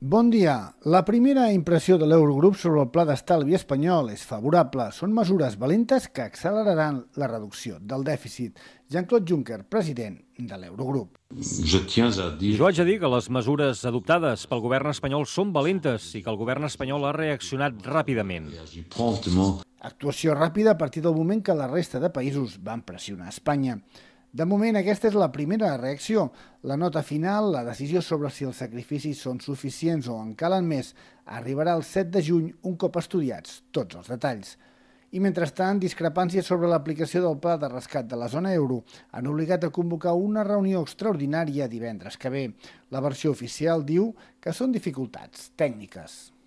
Bon dia. La primera impressió de l'Eurogrup sobre el pla d'estalvi espanyol és favorable. Són mesures valentes que acceleraran la reducció del dèficit. Jean-Claude Juncker, president de l'Eurogrup. Jo haig de dir que les mesures adoptades pel govern espanyol són valentes i que el govern espanyol ha reaccionat ràpidament. Actuació ràpida a partir del moment que la resta de països van pressionar Espanya. De moment, aquesta és la primera reacció. La nota final, la decisió sobre si els sacrificis són suficients o en calen més, arribarà el 7 de juny un cop estudiats tots els detalls. I mentrestant, discrepàncies sobre l'aplicació del pla de rescat de la zona euro han obligat a convocar una reunió extraordinària divendres que ve. La versió oficial diu que són dificultats tècniques.